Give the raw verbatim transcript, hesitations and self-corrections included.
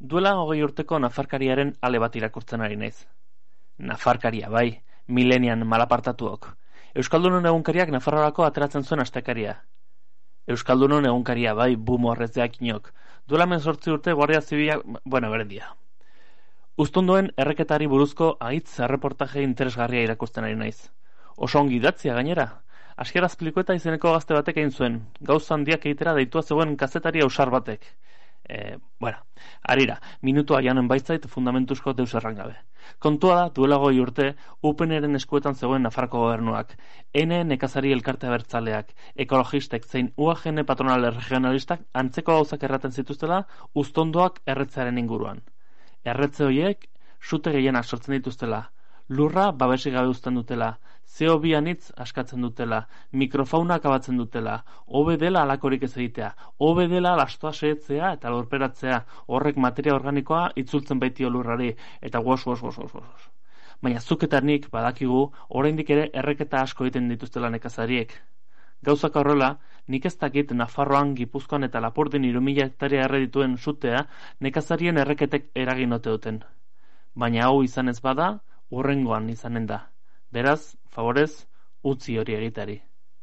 Duela hogei urteko nafarkariaren ale bat irakurtzen ari naiz. Nafarkaria, bai, milenian malapartatuok. Euskaldunon egunkariak Nafarroako ateratzen zuen astekaria. Euskaldunon egunkaria, bai, bumo horrezdeak inok. Duela menzortzi urte Guardia Zibila, bueno, berendia. Uztundoen erreketari buruzko ahitz erreportaje interesgarria irakurtzen ari naiz. Oso ongi idatzia gainera. Asker Azpilikueta izeneko gazte batek egin zuen, gauza handiak egitera deitua zegoen kazetari ausar batek. E, bueno, arira, minutua janen baitzait fundamentuzko deus errangabe. Kontua da, duela goi urte, U P N-eren eskuetan zegoen Nafarroko gobernuak, Ene nekazari elkarte abertzaleak, ekologistek zein U A G N patronal regionalistak antzeko gauzak erraten zituztela uztondoak erretzearen inguruan. Erretze horiek, sute gehienak sortzen dituztela, lurra babesik gabe uzten dutela, C O bi anitz askatzen dutela, mikrofauna akabatzen dutela, hobe dela alakorik ez egitea, hobe dela lastoa sehetzea eta lurperatzea, horrek materia organikoa itzultzen baitio lurrari, eta guos, guos, guos, guos, guos. Baina zuk eta nik badakigu, oraindik ere erreketa asko egiten dituztela nekazariek. Gauzak horrela, nik ez dakit Nafarroan, Gipuzkoan eta Lapurdin hiru mila hektaria erre dituen sutea nekazarien erreketek eragin ote duten. Baina hau izan ez bada, hurrengoan izanen da. Beraz, favorez, utzi hori egitari.